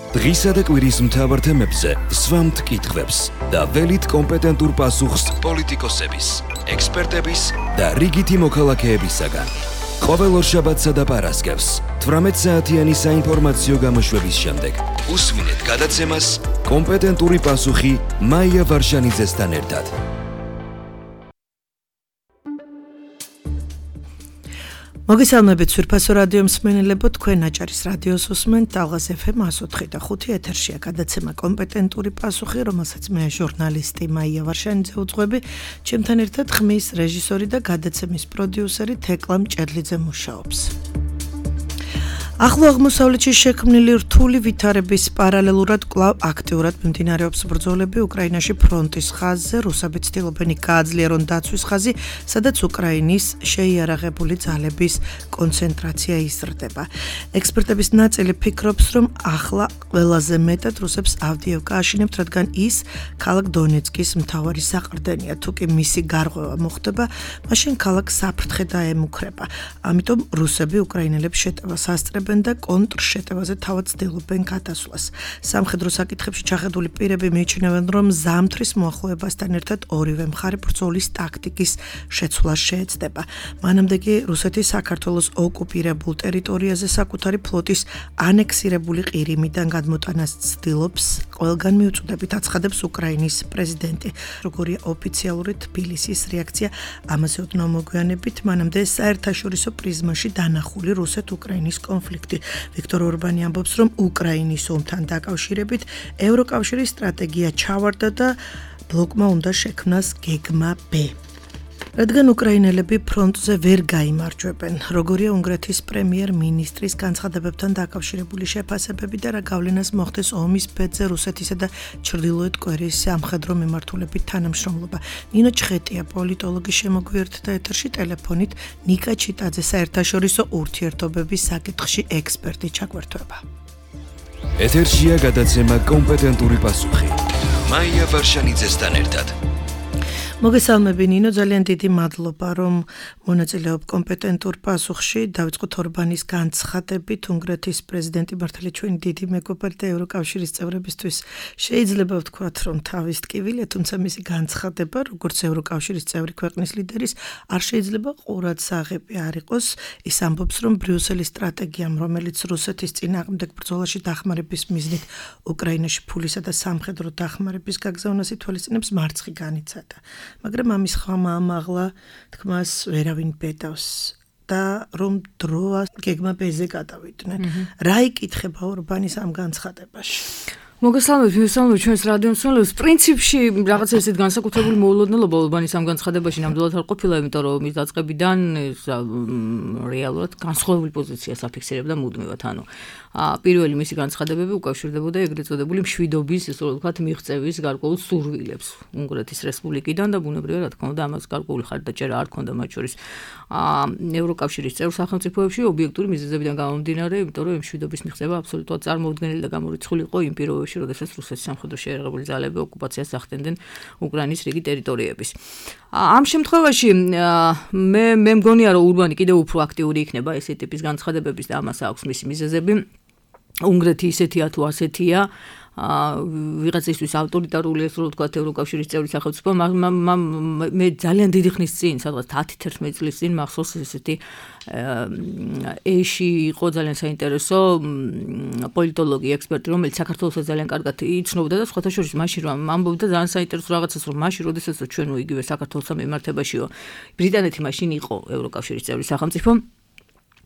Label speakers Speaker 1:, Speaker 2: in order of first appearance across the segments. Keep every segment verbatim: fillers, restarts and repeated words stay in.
Speaker 1: დღისა და კვირის მთავარ თემებზე სვამთ კითხვებს და ველით კომპეტენტურ პასუხს პოლიტიკოსების, ექსპერტების და რიგითი მოქალაქეებისაგან. ყოველ ორშაბათსა და პარასკევს თვრამეტ საათიანი საინფორმაციო გამოშვების შემდეგ უსმინეთ გადაცემას კომპეტენტური პასუხი მაია ვარშანიძესთან ერთად.
Speaker 2: მოგესალმებით სვირფასო რადიო მსმენელებო, თქვენ აჭარის რადიოს უსმენთ ალღას ეფ ემ εκατო ოთხი და ხუთი ეთერშია გადაცემა კომპეტენტური პასუხი, რომელსაც მე ჟურნალისტი მაია ვარშანიძე უძღვები, ჩემთან ერთად ხმის რეჟისორი და გადაცემის პროდიუსერი თეკლა მჭედლიძე მუშაობს. ახლო აღმოსავლეთში შექმნილი რთული ვითარების პარალელურად კვლავ აქტიურად მიმდინარეობს ბრძოლები უკრაინაში ფრონტის ხაზზე, რუსები ცდილობენ გააძლიერონ დაცვის ხაზი, სადაც უკრაინის შეიარაღებული ძალების კონცენტრაცია იზრდება. ექსპერტების ნაწილი ფიქრობს, რომ ახლა ყველაზე მეტად რუსებს ავდიევკა აშინებთ, რადგან ის ქალაქ დონეცკის მთავარი საყრდენია. თუ კი მისი გარღვევა მოხდება, მაშინ ქალაქ საფრთხე დაემუქრება. ამიტომ რუსები უკრაინელებს შეტევას ასწრებენ და კონტრშეტევაზე თავად ცდილობენ გადასვლას. სამხედრო საკითხებში ჩახედული პირები მიიჩნევენ, რომ ზამთრის მოახლოებასთან ერთად ორივე მხარე ბრძოლის ტაქტიკის შეცვლას შეეცდება. მანამდე კი რუსეთი საქართველოს ოკუპირებულ ტერიტორიაზე საკუთარი ფლოტის ანექსირებული ყირიმიდან გადმოტანას ცდილობს. ყველგან მიუწვდებით აცხადებს უკრაინის პრეზიდენტი. როგორია ოფიციალური თბილისის რეაქცია ამაზე ოდნავ მოგვიანებით, მანამდე საერთაშორისო პრიზმაში დანახული რუსეთ-უკრაინის კონფლიქტი. ვიქტორ ორბანი ამბობს, რომ უკრაინის ომთან დაკავშირებით ევროკავშირის სტრატეგია ჩავარდა და ბლოკმა უნდა შექმნას გეგმა ბ. რადგან უკრაინელები ფრონტზე ვერ გაიმარჯვებენ, როგორია უნგრეთის პრემიერ-მინისტრის განცხადებებთან დაკავშირებული შეფასებები და რა გავლენას მოხდეს ომის ბედზე რუსეთისა და ჩრდილოეთ კორეის სამხედრო მიმართულებით თანამშრომლობა. ნინო ჩხეტია, პოლიტოლოგი, შემოგვიერთდა ეთერში ტელეფონით. ნიკა ჩიტაძე, საერთაშორისო ურთიერთობების საკითხში ექსპერტი ჩაგვერთვება.
Speaker 1: ეთერშია გადაცემა კომპეტენტური პასუხი. მაია ვარშანიძესთან ერთად.
Speaker 2: მოგესალმები ნინო, ძალიან დიდი მადლობა, რომ მონაწილეობ კომპეტენტურ პასუხში. დავიწყოთ ორბანის განცხადებით. უნგრეთის პრეზიდენტი მართალი ჩვენი დიდი მეგობარი და ევროკავშირის წევრებისთვის შეიძლება ვთქვათ, რომ თავის ტკივილია, თუმცა მისი განცხადება, როგორც ევროკავშირის წევრი ქვეყნის ლიდერის, არ შეიძლება ყურადსაღები არ იყოს. ის ამბობს, რომ ბრიუსელის სტრატეგიამ, რომელიც რუსეთის წინააღმდეგ ბრძოლაში დახმარების მიზნით უკრაინაში ფულისა და სამხედრო დახმარების გაგზავნას ითვალისწინებს, მარცხი განიცადა. მაგრამ ამის ხმა ამაღლა თქმას ვერავინ ბედავს და რომ დროა გეგმა ბ-ზე გადავიდნენ. რა იკითხება ორბანის ამ განცხადებაში?
Speaker 3: მოგესალმებით, მოგესალმებით ჩვენს რადიო მსმენელებს. პრინციპში რაღაცა ესეთ განსაკუთრებული მოულოდნელობა ორბანის ამ განცხადებაში ნამდვილად არ ყოფილა, იმიტომ რომ ის დაწყებიდან რეალურად განსხვავებული პოზიციას აფიქსირებდა მუდმივად. ანუ პირველი მისი განცხადებები უკავშირდებოდა ეგრეთ წოდებული მშვიდობის, ისე რომ ვთქვათ, მიღწევის გარკვეულ სურვილებს უნგრეთის რესპუბლიკიდან და ბუნებრივად, რა თქმა უნდა, ამას გარკვეული ხარდაჭერა არ ჰქონდა მათ შორის ევროკავშირის წევრ სახელმწიფოებში ობიექტური მიზეზებიდან გამომდინარე, იმიტომ რომ მშვიდობის მიღწევა აბსოლუტურად წარმოუდგენელი და გამორიცხული იყო იმ პირობებში, როდესაც რუსეთის სამხედრო შეიარაღებული ძალები ოკუპაციას ახდენდნენ უკრაინის რიგი ტერიტორიების. ამ შემთხვევაში მე მე მგონია, რომ ორბანი კიდევ უფრო აქტიური იქნება ესეთი ტიპის განცხადებების და ამას აქვს მისი მიზეზები. უნგრეთი ისეთია თუ ასეთია, ვიღაცისთვის ავტორიტარული, ესე რომ ვთქვათ, ევროკავშირის წევრი სახელმწიფო, მე ძალიან დიდი ხნის წინ, სადღაც ათი-ათერთმეტი წლის წინ მახსოვს ესეთი ეში იყო ძალიან საინტერესო პოლიტოლოგი, ექსპერტი, რომელიც საქართველოსაც ძალიან კარგად იცნობდა და სხვათა შორის მაშინ რომ ამბობდა ძალიან საინტერესო რაღაცას, რომ მაშინ როდესაც ჩვენ იგივე საქართველოს მიმართებაშიო, ბრიტანეთი მაშინ იყო ევროკავშირის წევრი სახელმწიფო.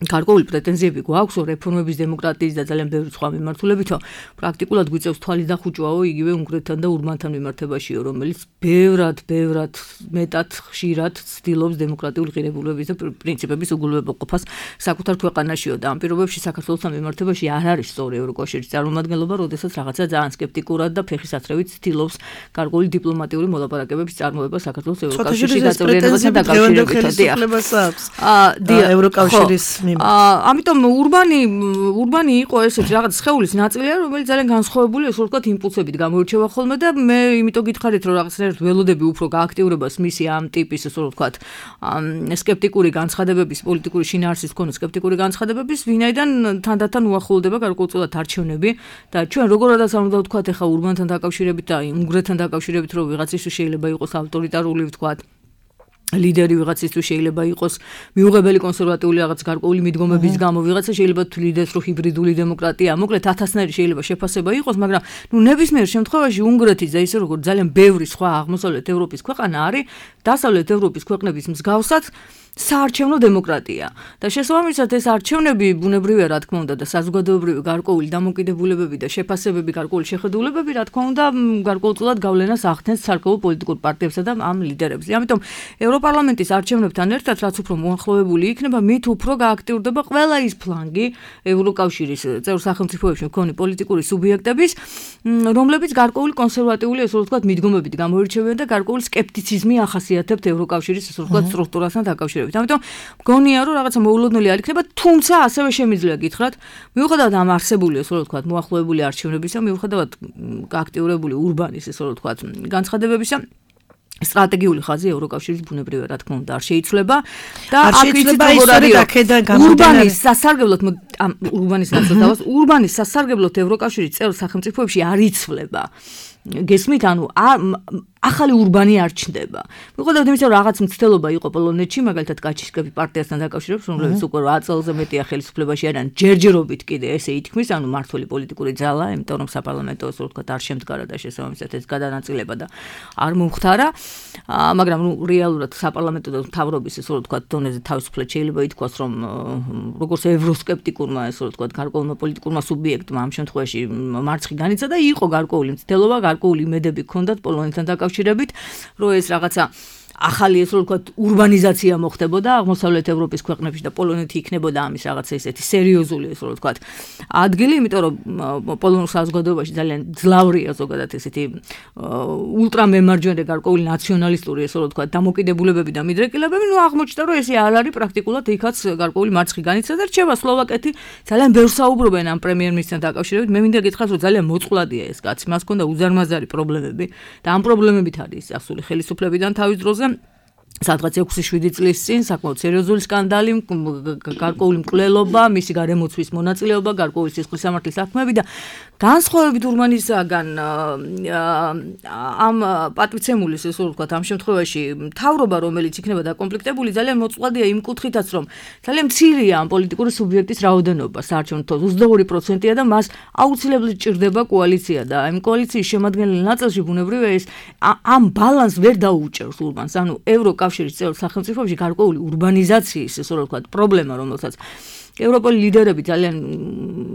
Speaker 3: გარკვეული პრეტენზიები გვაქვს რეფორმების, დემოკრატიის და ძალიან ბევრი სხვა მიმართულებითო, პრაქტიკულად გვიწევს თვალის დახუჭვაო იგივე უნგრეთთან და ურბანთან მიმართებაშიო, რომელიც ბევრად, ბევრად მეტად ხშირად ცდილობს დემოკრატიული ღირებულებების და პრინციპების უგულებელყოფას საკუთარ ქვეყანაშიო და ამ პირობებში საქართველოსთან მიმართებაში არ არის სწორი ევროკავშირის წარმომადგენლობა, როდესაც რაღაცა ძალიან სკეპტიკურად და ფეხის ათრევით ცდილობს გარკვეული დიპლომატიური მოლაპარაკებების წარმოება საქართველოს ევროკავშირში გაწევრიანებასთან დაკავშირებით.
Speaker 2: ევროკავშირის
Speaker 3: ამიტომ ურბანი ურბანი იყო ესეთი რაღაც სხეულის ნაწილია, რომელიც ძალიან განსხვავებული, ასე ვთქვათ, იმპულსებით გამოირჩევა ხოლმე და მე იმიტომ გითხარით, რომ რაღაცნაირად ველოდები უფრო გააქტიურებას მისი ამ ტიპის, ასე ვთქვათ, სკეპტიკური განცხადებების, პოლიტიკური შინაარსის მქონე სკეპტიკური განცხადებების, ვინაიდან თანდათან უახლოვდება გარკვეულწილად არჩევნები და ჩვენ როგორადაც არ უნდა ვთქვათ ახლა ურბანთან დაკავშირებით და უნგრეთთან დაკავშირებით, რომ ვიღაცისთვის შეიძლება იყოს ავტორიტარული, ვთქვათ, ლიდერი ვიღაცისთვის შეიძლება იყოს მიუღებელი კონსერვატიული რაღაც გარკვეული მიდგომების გამო, ვიღაცა შეიძლება თვლიდეს, რომ ჰიბრიდული დემოკრატია, მოკლედ ათასნაირი შეიძლება შეფასება იყოს, მაგრამ ნუ ნებისმიერ შემთხვევაში უნგრეთის და ისე როგორც ძალიან ბევრი სხვა აღმოსავლეთ ევროპის ქვეყანა არის დასავლეთ ევროპის ქვეყნების მსგავსად საარჩევნო დემოკრატია და შესაბამისად ეს არჩევნები ბუნებრივია რა თქმა უნდა და საზოგადოებრივი გარკვეული დამოკიდებულებები და შეფასებები გარკვეული შეხედულებები რა თქმა უნდა გარკვეულწილად გავლენას ახდენს სარგებლო პოლიტიკურ პარტიებსა და ამ ლიდერებზე. ამიტომ ევროპარლამენტის არჩევნებთან ერთად რაც უფრო მოახლოვებული იქნება, მით უფრო გააქტიურდება ყველა ის ფლანგი ევროკავშირის წევრ სახელმწიფოებში მქონე პოლიტიკური სუბიექტების, რომლებიც გარკვეული კონსერვატიული, ასე ვთქვათ, მიდგომებით გამოირჩევიან და გარკვეული სკეპტიციზმი ახასიათებთ ევროკავშირის, ასე ვთქვათ, სტრუქტურასთან დაკავშირებით. ამიტომ მგონია რომ რაღაცა მოულოდნელი არ იქნება, თუმცა ასევე შემიძლია გითხრათ, მიუხედავად ამ არსებული, ასე ვთქვათ, მოახლოებული არჩევნებისა, მიუხედავად გააქტიურებული ურბანის, ასე ვთქვათ, განცხადებებისა, სტრატეგიული ხაზი ევროკავშირის ბუნებრივია რა თქმა უნდა არ შეიცვლება და აქ ვიცით როგორ არის ურბანის სასარგებლოდ ურბანის ნაცვლად ურბანის სასარგებლოდ ევროკავშირის წევრ სახელმწიფოებში არ იცვლება. გესმით, ანუ ახალი ურბანი არ ჩნდება. მიუხედავად იმისა, რომ რაღაც მცდელობა იყო პოლონეთში, მაგალითად კაჩინსკების პარტიასთან დაკავშირებით, რომლებიც უკვე რვა წელზე მეტია ხელისუფლებაში არიან, ჯერჯერობით კიდე ესე ითქმის, ანუ მმართველი პოლიტიკური ძალა, იმიტომ რომ საპარლამენტო, ასე ვთქვათ, არ შემდგარა და შესაბამისად ეს გადანაწილება და არ მომხდარა. მაგრამ ნუ რეალურად საპარლამენტო და მთავრობის, ასე ვთქვათ, დონეზე თავისუფლად შეიძლება ითქვას, რომ როგორც ევროსკეპტიკურმა, ასე ვთქვათ, გარკვეულმა პოლიტიკურმა სუბიექტმა ამ შემთხვევაში მარცხი განიცა და იყო გარკვეული მცდელობა, გარკვეული იმედები ჰქონდათ პოლონეთთან დაკავშირებით, რომ ეს რაღაცა ახალი, ასე ვთქვათ, ურბანიზაცია მოხდებოდა აღმოსავლეთ ევროპის ქვეყნებში და პოლონეთი იქნებოდა ამის რაღაცა ესეთი სერიოზული, ასე ვთქვათ, ადგილი, იმიტომ რომ პოლონურ საზოგადოებაში ძალიან ძლავრია ზოგადად ესეთი ულტრამემარჯვენე გარკვეული ნაციონალისტური, ასე ვთქვათ, დამოკიდებულებები და მიდრეკილებები, ნუ აღმოჩნდა, რომ ესე არ არის პრაქტიკულად იქაც გარკვეული მარცხი განიცა და რჩება სლოვაკეთი ძალიან ბევრს საუბრობენ ამ პრემიერ-მინისტრთან დაკავშირებით. მე მინდა გითხრათ, რომ ძალიან მოწყვლადია ეს კაცი, მას ჰქონდა უზარმაზარი პრობლემები და ამ პრობლემებით არის ასული ხელისუფლებიდან თავის დროზე. სადღაც ექვსი შვიდი წლის წინ საკმაოდ სერიოზული სკანდალი, გარკვეული მკვლელობა, მისი გარემოცვის მონაწილეობა, გარკვეული სისხლის სამართლის საქმეები და განსხვავებით ურბანისაგან ამ პატვიცემულის, ესე ვთქვათ, ამ შემთხვევაში მთავრობა, რომელიც იქნება დაკომპლექტებული, ძალიან მოწყვლადია იმ კუთხითაც, რომ ძალიან მცირეა ამ პოლიტიკური სუბიექტის რაოდენობა საარჩევნო თვალსაჩინო ოცდაორი პროცენტია და მას აუცილებლად ჭირდება კოალიცია და ამ კოალიციის შემადგენელი ნაწილში ბუნებრივია ეს ამ ბალანსს ვერ დაუჭერს ურბანს, ანუ ევროკავშირის წევრ სახელმწიფოებში გარკვეული ურბანიზაციის, ესე ვთქვათ, პრობლემა, რომელსაც ევროპელი ლიდერები ძალიან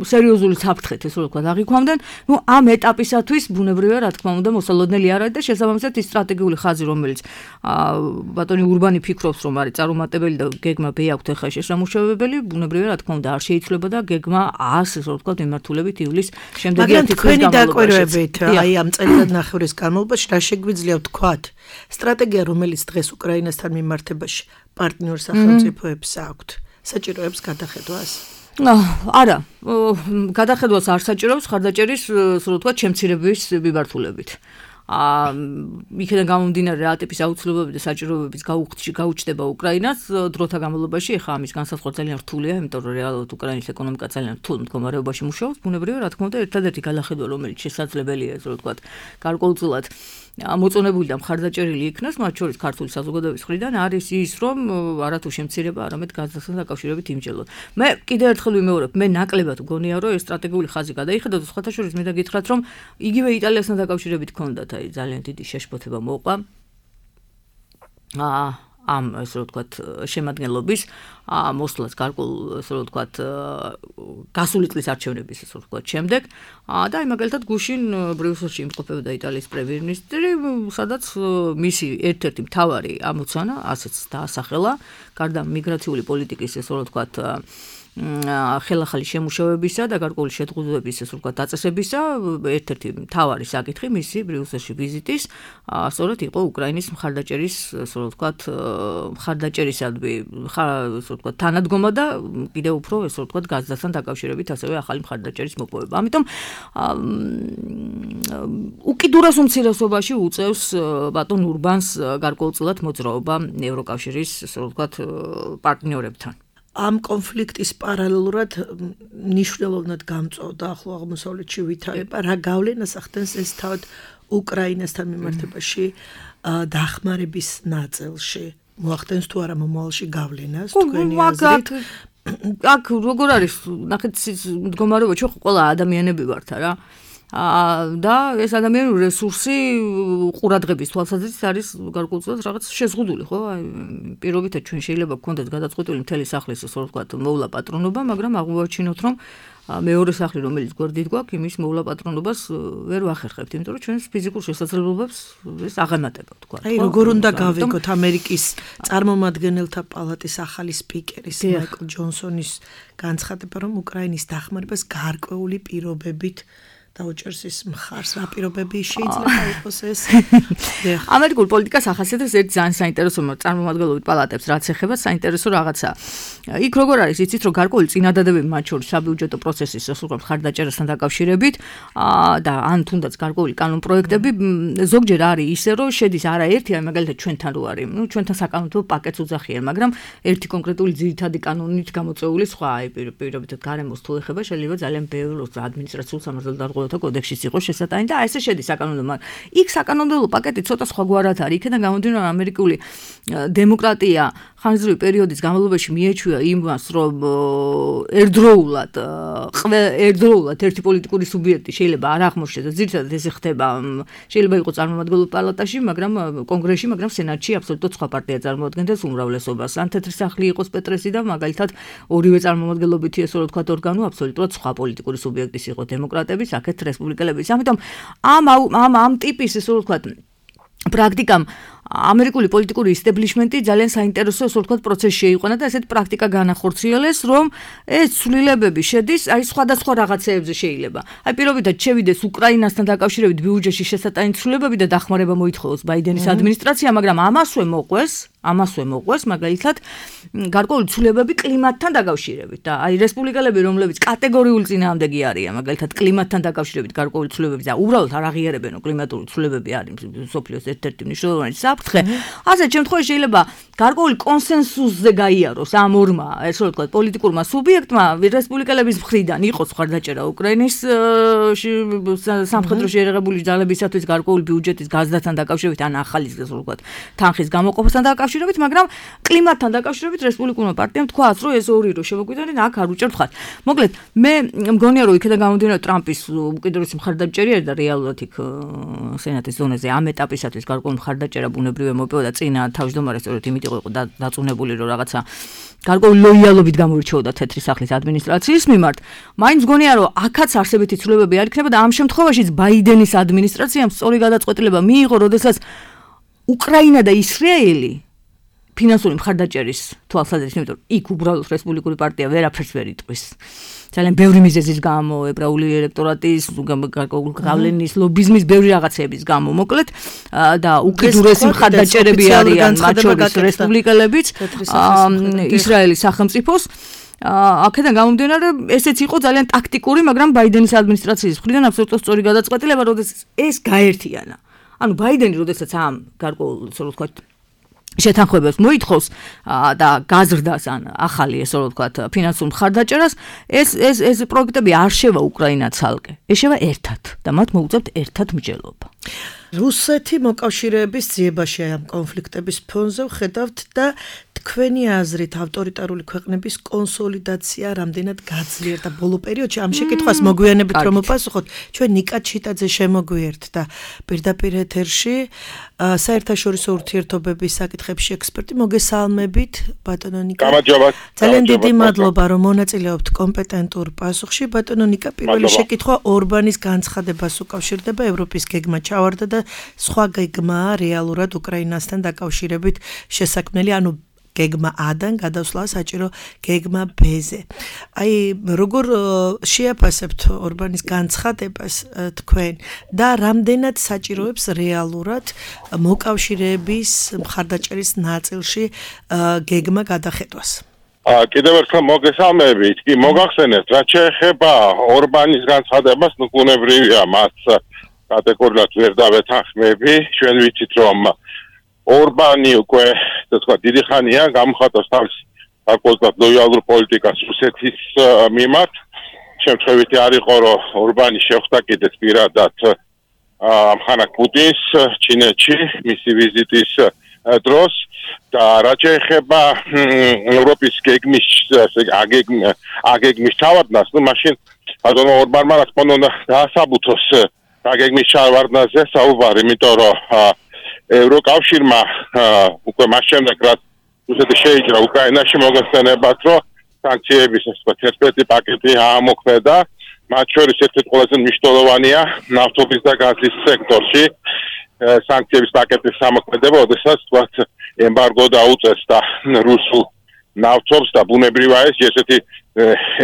Speaker 3: სერიოზული საფრთხეთ, ესე ვთქვათ, აღიქვამდნენ. ნუ ამ ეტაპისათვის ბუნებრივია, რა თქმა უნდა, მოსალოდნელი არ არის და შესაბამისად ის სტრატეგიული ხაზი, რომელიც ბატონი ურბანი ფიქრობს, რომ არის წარუმატებელი და გეგმა ბ აქვს ახლა შესამუშავებელი, ბუნებრივია, რა თქმა უნდა, არ შეიცვლება და გეგმა ას, ესე ვთქვათ, მიმართულებით ივლის შემდეგი ათი წლის განმავლობაში.
Speaker 2: მაგრამ თქვენი დაკვირვებით, აი ამ წელიწადნახევრის განმავლობაში რა შეგვიძლია ვთქვათ? სტრატეგია, რომელიც დღეს უკრაინასთან მიმართებაში პარტნიორ სახელმწიფოებს აქვთ, საჭიროებს გადახედვას?
Speaker 3: არა, გადახედვას არ საჭიროებს ხარდაჭერის, ასე ვთქვათ, შემცირების მიმართულებით. აა იქიდან გამომდინარე რა ტიპის აუცილებლობები და საჭიროებების გაუჩნდება უკრაინას დროთა განმავლობაში, ეხლა ამის განსაზღვრა ძალიან რთულია, იმიტომ რომ რეალურად უკრაინის ეკონომიკა ძალიან რთულ მდგომარეობაში მუშაობს, ბუნებრივია, რა თქმა უნდა, ერთადერთი გადახედვა, რომელიც შესაძლებელია, ასე ვთქვათ, გარკვეულწილად მოწონებული და მხარდაჭერილი იქნას, მათ შორის ქართული საზოგადოების მხრიდან არის ის, რომ არათუ შემცირება, არამედ გაზრდასთან დაკავშირებით იმჯელოთ. მე კიდევ ერთხელ ვიმეორებ, მე ნაკლებად მგონია, რომ ეს სტრატეგიული ხაზი გადაიხედოთ, სხვათა შორის მინდა გითხრათ, რომ იგივე იტალიასთან დაკავშირებით ჰქონდათ აი ძალიან დიდი შეშფოთება მოყვა. აა ამ, ასე ვთქვათ, შემადგენლობის მოსვლას გარკვეულ, ასე ვთქვათ, გასული წლის არჩევნების, ასე ვთქვათ, შემდეგ და აი მაგალითად გუშინ ბრიუსელში იმყოფებოდა იტალიის პრემიერ-მინისტრი, სადაც მისი ერთ-ერთი მთავარი ამოცანა, ასეც დაასახელა, გარდა მიგრაციული პოლიტიკის, ასე ვთქვათ, ხელახალი შემუშავებისა და გარკვეული შეთანხმების ესე ვთქვათ დაწესებისა ერთ-ერთი მთავარი საკითხი მისი ბრიუსელში ვიზიტის სწორედ იყო უკრაინის მხარდაჭერის ესე ვთქვათ მხარდაჭერისადმი ესე ვთქვათ თანადგომა და კიდევ უფრო ესე ვთქვათ გაზდასთან დაკავშირებით ასევე ახალი მხარდაჭერის მოპოვება. ამიტომ უკიდურეს უმცირესობაში უწევს ბატონ ურბანს გარკვეულწილად მოძრაობა ევროკავშირის ესე ვთქვათ პარტნიორებთან.
Speaker 2: ამ კონფლიქტის პარალელურად მნიშვნელოვნად გამწვავდა ახლო აღმოსავლეთში ვითარება, რა გავლენას ახდენს ეს თავად უკრაინასთან მიმართებაში დახმარების ნაწილში. მოახდენს თუ არა მომავალში გავლენას თქვენი აზრით?
Speaker 3: აქ როგორ არის, ნახეთ მდგომარეობა, ჩვენ ყველა ადამიანები ვართ რა. და ეს ადამიანური რესურსი ყურადღების თვალსაზრისით არის გარკვეულწილად რაღაც შეზღუდული, ხო? აი პირობითად ჩვენ შეიძლება გქონდეს გადაწყვეტილი მთელი სახლის ასე ვთქვათ მოვლა პატრონობა, მაგრამ აღმოვაჩინოთ რომ მეორე სახლი რომელიც გვერდით გვაქვს, იმის მოვლა პატრონობას ვერ ვახერხებთ, იმიტომ რომ ჩვენს ფიზიკურ შესაძლებლობებს ეს აღემატება, თქვა.
Speaker 2: აი როგორ უნდა გავიგოთ ამერიკის წარმომადგენელთა პალატის ახალი სპიკერის მაიკლ ჯონსონის განცხადება, რომ უკრაინის დახმარებას გარკვეული პირობებით დაუჭერს ის მხარს, რა პირობები შეიძლება იყოს ეს?
Speaker 3: ამერიკულ პოლიტიკას ახასიათებს ერთ ძალიან საინტერესო წარმომადგენლობით პალატებს, რაც ეხება საინტერესო რაღაცა. იქ როგორ არის, იცით რომ გარკვეული წინადადებები მათ შორის საბიუჯეტო პროცესის ასე ვთქვათ მხარდაჭერასთან დაკავშირებით და ან თუნდაც გარკვეული კანონ პროექტები ზოგჯერ არის ისე რომ შედის არაერთი, აი მაგალითად ჩვენთან რო არის, ნუ ჩვენთან საკანონმდებლო პაკეტს უძახიან, მაგრამ ერთი კონკრეტული ძირითადი კანონით გამოწვეული სხვა აი პირობითად გარემოს თუ ეხება შეიძლება ძალიან ბევრი ადმინისტრაციულ სამართალდამხმარებლო კოდექსის იყო შესატანი და ესე შედის საკანონმდებლო. იქ საკანონმდებლო პაკეტი ცოტა სხვაგვარად არის. იქიდან გამომდინარე ამერიკული დემოკრატია ხანძრივი პერიოდის განმავლობაში მიეჩვია იმას, რომ ერთდროულად ერთდროულად ერთი პოლიტიკური სუბიექტი შეიძლება არ აღმოჩნდეს და ძირითადად ეს ხდება შეიძლება იყოს წარმომადგენლო პალატაში, მაგრამ კონგრესში, მაგრამ სენატში აბსოლუტურად სხვა პარტია წარმოადგენდეს უმრავლესობას. ან თეთრი სახლი იყოს პეტრესი და მაგალითად ორივე წარმომადგენლობითი ესე ვთქვათ ორგანო აბსოლუტურად სხვა პოლიტიკური სუბიექტის იყო დემოკრატების, აქეთ რესპუბლიკელების. ამიტომ ამ ამ ამ ტიპის ესე ვთქვათ პრაქტიკამ ამერიკული პოლიტიკური ისტაბლიშმენტი ძალიან საინტერესო ასე ვთქვათ პროცესში შეიყვანა და ესეთ პრაქტიკა განახორციელეს, რომ ეს ცვლილებები შედის აი სხვადასხვა რაღაცეებზე შეიძლება. აი პირობითად შევიდეს უკრაინასთან დაკავშირებით ბიუჯეტში შესატანი ცვლილებები და დახმარება მოითხოვოს ბაიდენის ადმინისტრაცია, მაგრამ ამასვე მოყვეს, ამასვე მოყვეს მაგალითად გარკვეული ცვლილებები კლიმატთან დაკავშირებით და აი რესპუბლიკელები, რომლებიც კატეგორიული წინააღმდეგი არიან მაგალითად კლიმატთან დაკავშირებით გარკვეული ცვლილებები და უბრალოდ არ აღიარებენ, რომ კლიმატური ცვლილებები არის სოფლიოს ერთ-ერთი მნიშვნელოვანი საფრთხე. ასეთ შემთხვევაში შეიძლება გარკვეული კონსენსუსზე გაიაროს ამ ორმა, ესე ვთქვათ, პოლიტიკურმა სუბიექტმა რესპუბლიკელების მხრიდან იყოს მხარდაჭერა უკრაინის სამხედრო შეერაღებული ძალებისათვის გარკვეული ბიუჯეტის გაზრდასთან დაკავშირებით ან ახალი ესე ვთქვათ, თანხის გამოყოფასთან დაკავშირებით, მაგრამ კლიმატთან დაკავშირებით რესპუბლიკურმა პარტიამ თქვა, რომ ეს ორი რო შემოგვიყვანენ, აქ არ უჭერთ ხალხს. მოკლედ, მე მგონია, რომ იქიდან გამომდინარე ტრამპის უკიდურესი მხარდაჭერა და რეალურად იქ სენატის ზონაზე ამ ეტაპისათვის გარკვეული მხარდაჭერა ბუნებრივია მოპოვდა წინა თავმჯდომარე სწორედ იმით იყო დაწუნებული რომ რაღაცა გარკვეული ლოიალობით გამოირჩეოდა თეთრი სახლის ადმინისტრაციის მიმართ. მაინც მგონია რომ აქაც არსებითი ცვლილებები არ იქნება და ამ შემთხვევაშიც ბაიდენის ადმინისტრაციამ სწორი გადაწყვეტილება მიიღო, როდესაც უკრაინა და ისრაელი ფინანსური მხარდაჭერის თვალსაზრისით, იმიტომ რომ იქ უბრალოდ რესპუბლიკური პარტია ვერაფერს ვერ იტყვის. ძალიან ბევრი მიზეზის გამო, ებრაული ელექტორატის, გარკვეული გავლენის, ლობიზმის ბევრი რაღაცების გამო, მოკლედ და უკიდურესი მხარდაჭერები არიან მათ შორის რესპუბლიკელებიც, ისრაელის სახელმწიფოს. აქედან გამომდინარე, ესეც იყო ძალიან ტაქტიკური, მაგრამ ბაიდენის ადმინისტრაციის მხრიდან აბსოლუტურად სწორი გადაწყვეტილება, როდესაც ეს გაერთიანა. ანუ ბაიდენი, როდესაც ამ გარკვეულ, ასე ვთქვათ, შეთანხმებას მოითხოვს და გაზრდას ან ახალი ესე ვთქვათ ფინანსურ მხარდაჭერას, ეს ეს ეს პროექტები არ შევა უკრაინა ცალკე, ეშევა ერთად და მათ მოუწევთ ერთად მსჯელობა.
Speaker 2: რუსეთი მოკავშირეების ძიებაში ამ კონფლიქტების ფონზე ვხედავთ და თქვენი აზრით ავტორიტარული ქვეყნების კონსოლიდაცია რამდენად გაძლიერდა ბოლო პერიოდში? ამ შეკითხვას მოგვიანებით რომ მოპასუხოთ, ჩვენ ნიკა ჩიტაძე შემოგვიერთდა პირდაპირ ეთერში საერთაშორისო ურთიერთობების საკითხებში ექსპერტი. მოგესალმებით ბატონო ნიკა. ძალიან დიდი მადლობა რომ მონაწილეობთ კომპეტენტურ პასუხში. ბატონო ნიკა, პირველი შეკითხვა ორბანის განცხადებას უკავშირდება, ევროპის გეგმა ჩავარდა და სხვა გეგმა რეალურად უკრაინასთან დაკავშირებით შესაქმნელი, ანუ გეგმა A-დან გადასვლა საჭირო გეგმა B-ზე. აი, როგორ შეაფასებთ ორბანის განცხადებას თქვენ და რამდენად საჭიროებს რეალურად მოკავშირეების მხარდაჭერის ნაწილში გეგმა გადახედვას?
Speaker 4: კიდევ ერთხელ მოგესალმებით. კი, მოგახსენებთ, რაც შეეხება ორბანის განცხადებას, ნუ ბუნებრივია მას კატეგორიულად ვერ დავეთანხმები. ჩვენ ვიცით, რომ ორბანი უკვე, ასე ვთქვათ, დიდი ხანია გამოხატავს თავის საკუთარ ლოიალურ პოლიტიკას რუსეთის მიმართ. შემთხვევითი არ იყო, რომ ორბანი შეხვდა კიდეც პირადად ამხანაგ პუტინს ჩინეთში მისი ვიზიტის დროს და რაც შეეხება ევროპის გეგმის აგეგმის ჩავარდნას, ნუ მაშინ ბატონო ორბანმა რა თქმა უნდა დაასაბუთოს აგეგმის ჩავარდნაზე საუბარი, იმიტომ რომ ევროკავშირმა უკვე მას შემდეგ რაც რუსეთი შეიჭრა უკრაინაში მოგესწრებათ, რომ სანქციების ასე ვთქვათ ერთ-ერთი პაკეტი აამოქმედა, მათ შორის ერთ-ერთი ყველაზე მნიშვნელოვანია ნავთობის და გაზის სექტორში სანქციების პაკეტის ამოქმედება, ოდესაც ვთქვათ ემბარგო დაუწეს და რუსულ ნავთობს და ბუნებრივია ეს ესეთი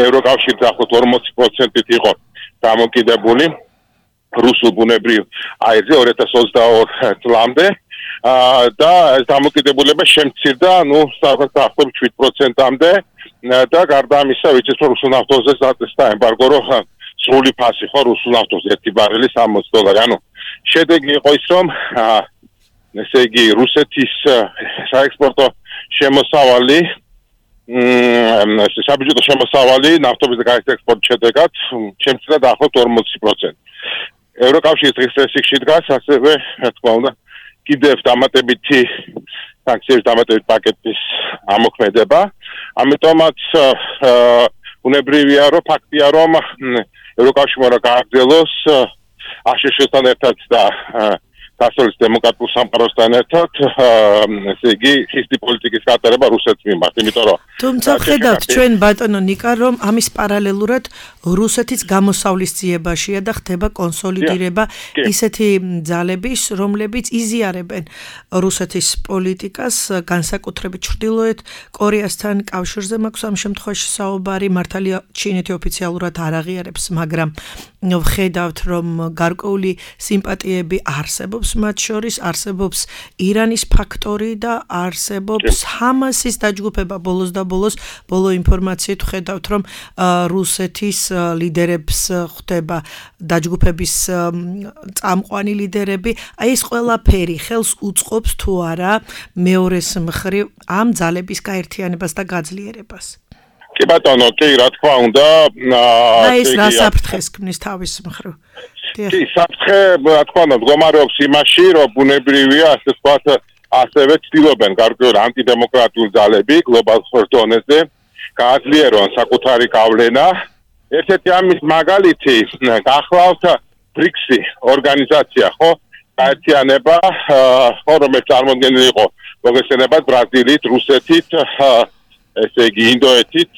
Speaker 4: ევროკავშირი დაახლოებით ორმოცი პროცენტით იყო დამოკიდებული რუსულ ბუნებრივ აირზე ორი ათას ოცდაორი წლამდე და ეს დამოკიდებულება შემცირდა, ნუ დაახლოებით შვიდ პროცენტამდე და გარდა ამისა, ვიცით რომ რუსულ ნავთობზე დაწესდა ემბარგო, რომ სრული ფასი ხო რუსულ ნავთობს ერთი ბარელი სამოცი დოლარი. ანუ შედეგი იყო ის, რომ ესე იგი რუსეთის საექსპორტო შემოსავალი მ საბიუჯეტო შემოსავალი ნავთობის და გაზის ექსპორტის შედეგად შემცირდა დაახლოებით ორმოცი პროცენტი. ევროკავშირის დღესდღეობით დგას ასევე, რა თქმა უნდა, კიდევ დამატებითი სანქციების დამატებითი პაკეტის ამოქმედება. ამიტომაც ბუნებრივია, რომ ფაქტია, რომ ევროკავშირმა რა გააგრძელოს აშშ-თან ერთად და დასავლეთის დემოკრატიულ სამყაროსთან ერთად ესე იგი ხისტი პოლიტიკის გატარება რუსეთის მიმართ, იმიტომ რომ
Speaker 2: თუმცა ხედავთ ჩვენ ბატონო ნიკა, რომ ამის პარალელურად რუსეთის გამოსავლის ძიებაშია და ხდება კონსოლიდირება ისეთი ძალების, რომლებიც იზიარებენ რუსეთის პოლიტიკას, განსაკუთრებით ჩრდილოეთ კორეასთან კავშირზე მაქვს ამ შემთხვევაში საუბარი, მართალია ჩინეთი ოფიციალურად არ აღიარებს, მაგრამ ხედავთ, რომ გარკვეული სიმპათიები არსებობს მათ შორის, არსებობს ირანის ფაქტორი და არსებობს ჰამასის დაჯგუფება ბოლოს და ბოლოს ბოლო ინფორმაციით ხედავთ, რომ რუსეთის ლიდერებს ხვდება დაჯგუფების წამყვანი ლიდერები. აი ეს ყველაფერი ხელს უწყობს თუ არა მეორეს მხრივ ამ ძალების გაერთიანებას და გაძლიერებას?
Speaker 4: კი ბატონო, კი, რა თქმა უნდა,
Speaker 2: აი ეს რა საფრთხეს ქმნის თავის მხრივ?
Speaker 4: კი, საფრთხე, რა თქმა უნდა, მდგომარეობს იმაში, რომ ბუნებრივია, ასე ვთქვათ, ასევე ცდილობენ გარკვეული ანტიდემოკრატიული ძალები გლობალურ დონეზე გააძლიერონ საკუთარი გავლენა. ერთ-ერთი ამის მაგალითი გახლავთ ბრიქსი ორგანიზაცია, ხო? გაერთიანება, ხო, რომელიც წარმოდგენილი იყო მოგესწრებათ ბრაზილიით, რუსეთით, ესე იგი ინდოეთით,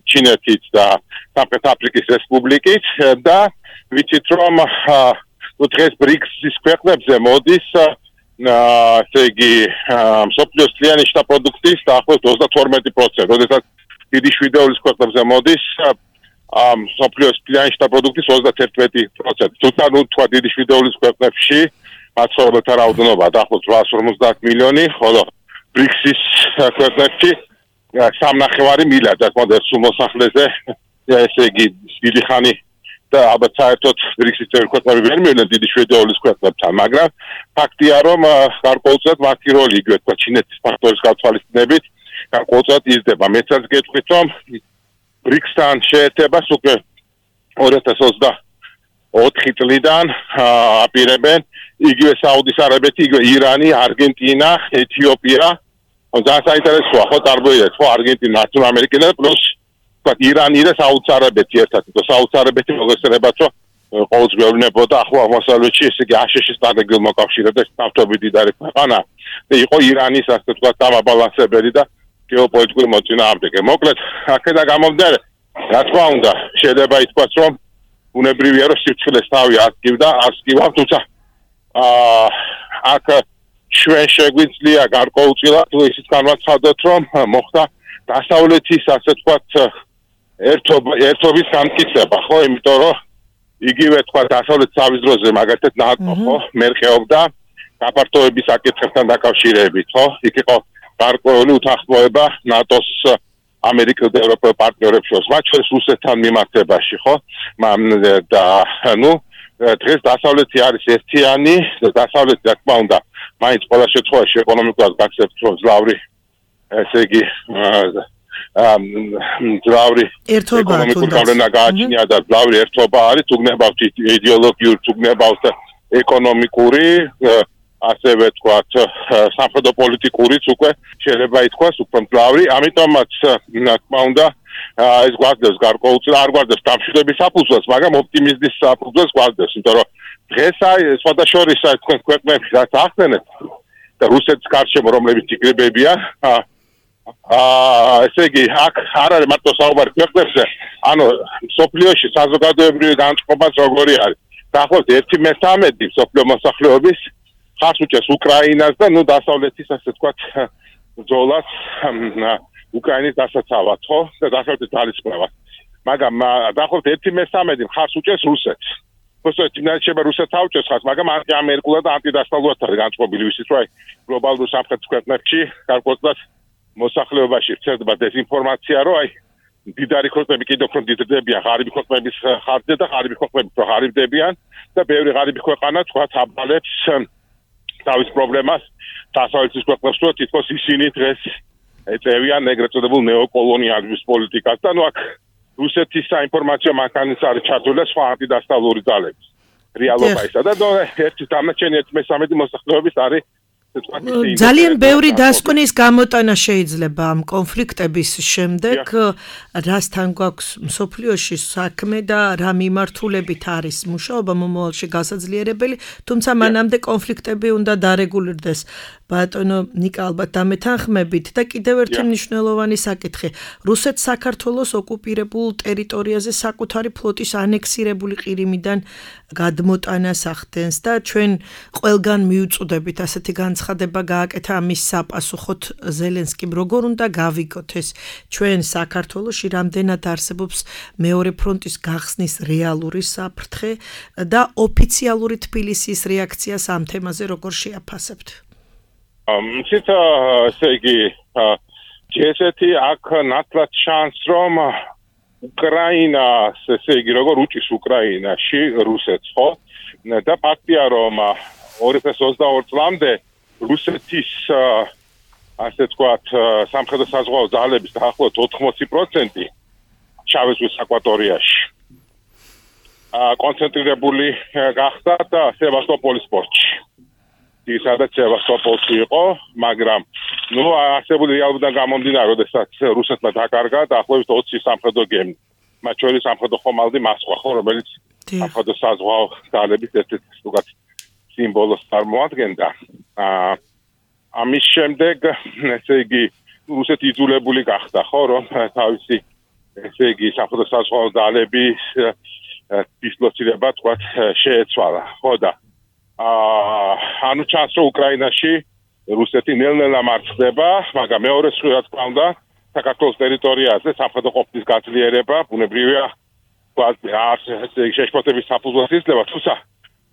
Speaker 4: ჩინეთით და სამხრეთ აფრიკის რესპუბლიკით და ვიცით რომ დღეს ბრიქსის ქვეყნებზე მოდის ესე იგი მსოფლიოს მთლიანი შტაბ-პროდუქტის დაახლოებით ოცდათორმეტი პროცენტი, როდესაც დიდი შვიდეულის ქვეყნებზე მოდის მსოფლიოს მთლიანი შტაბ-პროდუქტის ოცდაერთი პროცენტი. თუმცა ნუ თქვა დიდი შვიდეულის ქვეყნებში მაცხოვრებელთა რაოდენობა დაახლოებით რვაას ორმოცდაათ მილიონი, ხოლო ბრიქსის ქვეყნებში სამნახევარი მილიარდი, რა თქმა უნდა, სულ მოსახლეზე ესე იგი დიდი ხანი და ალბათ საერთოდ ბრიქსის წევრი ქვეყნები ვერ მივიდნენ დიდი შვედეულის ქვეყნებთან, მაგრამ ფაქტია, რომ გარკვეულწილად მათი როლი იგივე თქვა ჩინეთის ფაქტორის გათვალისწინებით გარკვეულწილად იზრდება. მეცაც გეტყვით, რომ ბრიქსთან შეერთებას უკვე ორი ათას ოცდაოთხი წლიდან აპირებენ იგივე საუდის არაბეთი, იგივე ირანი, არგენტინა, ეთიოპია. ძალიან საინტერესოა, ხო, წარმოიდგინეთ, ხო, არგენტინა, ლათინ ამერიკიდან პლუს ირანი და საუდის არაბეთი ერთად. საუდის არაბეთი მოგესწრებათ, რომ ყოველთვის გვეუბნებოდა ახლო აღმოსავლეთში, ესე იგი აშშ-ის სტრატეგიულ მოკავშირეებს ნავთობის დიდარი ქვეყანა და იყო ირანის, ასე ვთქვათ, დამაბალანსებელი და გეოპოლიტიკური მოწინააღმდეგე. მოკლედ, აქედან გამომდინარე, რა თქმა უნდა, შეიძლება ითქვას, რომ ბუნებრივია, რომ სივრცილეს თავი არ სკივდა, არ სკივავ, თუმცა აა აქ ჩვენ შეგვიძლია გარკვეულწილად ისიც განვაცხადოთ, რომ მოხდა დასავლეთის ასე ვთქვათ ერთობა ერთობის გამტკიცება, ხო, იმიტომ რომ იგივე თქვა დასავლეთ სავის დროზე მაგალითად ნატო ხო მერყეობდა გაფართოების საკითხებთან დაკავშირებით, ხო? იქ იყო გარკვეული უთანხმოება ნატოს ამერიკელ და ევროპელ პარტნიორებს შორის, მათ შორის რუსეთთან მიმართებაში, ხო? და ნუ დღეს დასავლეთი არის ერთიანი, დასავლეთი რა თქმა უნდა, მაინც ყველა შემთხვევაში ეკონომიკურად გაქცევთ, რომ ზლავრი, ესე იგი ზლავრი ეკონომიკური გავლენა გააჩნია და ზლავრი ერთობა არის, თუ გნებავთ იდეოლოგიურ, თუ გნებავთ ეკონომიკური, ასევე თქვათ სამხედრო პოლიტიკურიც უკვე შეიძლება ითქვას უფრო მძლავრი, ამიტომაც რა თქმა უნდა ეს გვაძლევს გარკვეულწილად არ გვაძლევს დამშვიდობის საფუძველს, მაგრამ ოპტიმიზმის საფუძველს გვაძლევს, იმიტომ რომ დღეს აი სხვადასხვა აი თქვენ ქვეყნებში რაც ახსენეთ და რუსეთის გარშემო რომლებიც იკრიბებია აა ესე იგი აქ არ არის მარტო საუბარი ქვეყნებზე, ანუ სოფლიოში საზოგადოებრივი განწყობაც როგორი არის. დაახლოებით ერთი მესამედი სოფლიო მოსახლეობის ხარს უჭერს უკრაინას და ნუ დასავლეთის ასე ვთქვათ ბრძოლას უკრაინის დასაცავად, ხო? და დასავლეთის ძალისხმევად. მაგრამ დაახლოებით ერთი მესამედი ხარს უჭერს რუსეთს. უბრალოდ იმნაირ რუსეთს აუჭერს ხარს, მაგრამ ანტიამერიკულად და ანტიდასავლურად არის განწყობილი, ვისიც რომ გლობალურ სამხრეთის ქვეყნებში გარკვეულწილად მოსახლეობაში ვრცელდება დეზინფორმაცია, რომ აი დიდარი ქვეყნები კიდევ უფრო დიდდებიან ღარიბი ქვეყნების ხარჯზე და ღარიბი ქვეყნები უფრო ღარიბდებიან და ბევრი ღარიბი ქვეყანა თქვა აბალებს თავის პრობლემას დასავლეთის ქვეყნებს, რომ თითქოს ისინი დღეს ეწევიან ეგრეთ წოდებულ ნეოკოლონიალიზმის პოლიტიკას და ნუ აქ რუსეთის საინფორმაციო მანქანის არის ჩართული სხვა ანტიდასავლური ძალების რეალობისა და ერთი დამნაჩენი ერთი მესამედი მოსახლეობის არის
Speaker 2: ძალიან ბევრი დასკვნის გამოტანა შეიძლება ამ კონფლიქტების შემდეგ, რასთან გვაქვს მსოფლიოში საქმე და რა მიმართულებით არის მუშაობა მომავალში გასაძლიერებელი, თუმცა მანამდე კონფლიქტები უნდა დარეგულირდეს. ბატონო ნიკა ალბათ დამეთანხმებით და კიდევ ერთი მნიშვნელოვანი საკითხი. რუსეთს საქართველოს ოკუპირებულ ტერიტორიაზე საკუთარი ფლოტის ანექსირებული ყირიმიდან გადმოტანას ახდენს და ჩვენ ყველგან მიუწვდებით ასეთი განცხადება გააკეთა ამის საპასუხოდ ზელენსკიმ. როგორ უნდა გავიგოთ ეს ჩვენ საქართველოში რამდენად არსებობს მეორე ფრონტის გახსნის რეალური საფრთხე და ოფიციალური თბილისის რეაქციას ამ თემაზე როგორ შეაფასებთ?
Speaker 4: მცით ესე იგი ჯესეთი აქ ნათლად შანსს რომ უკრაინა ესე იგი როგორ უჭის უკრაინაში რუსეთს ხო და ფაქტია რომ ორი ათას ოცდაორი წლამდე რუსეთის ასე ვთქვათ სამხედრო საზღვაო ძალების დაახლოებით ოთხმოცი პროცენტი ჩავეს ზღვის აკვატორიაში კონცენტრირებული გახდა და სევასტოპოლის პორტში სადაც სევასტოპოლში იყო, მაგრამ ნუ არსებული რეალობიდან გამომდინარე, როდესაც რუსეთმა დაკარგა დაახლოებით ოცი სამხედრო გემი. მათ შორის სამხედრო ხომალდი მასყვა, ხო, რომელიც სამხედრო საზღვაო ძალების ერთ-ერთ ზოგად სიმბოლოს წარმოადგენდა. აა ამის შემდეგ, ესე იგი, რუსეთი იძულებული გახდა, ხო, რომ თავისი ესე იგი სამხედრო საზღვაო ძალების დისლოცირება თქვათ შეეცვალა, ხო და აა ანუ ჩანს რომ უკრაინაში რუსეთი ნელ-ნელა მარცხდება, მაგრამ მეორე სრულად ყავდა საქართველოს ტერიტორიაზე სამხედრო ყოფნის გაძლიერება, ბუნებრივია შეშფოთების საფუძველს იძლევა, თუმცა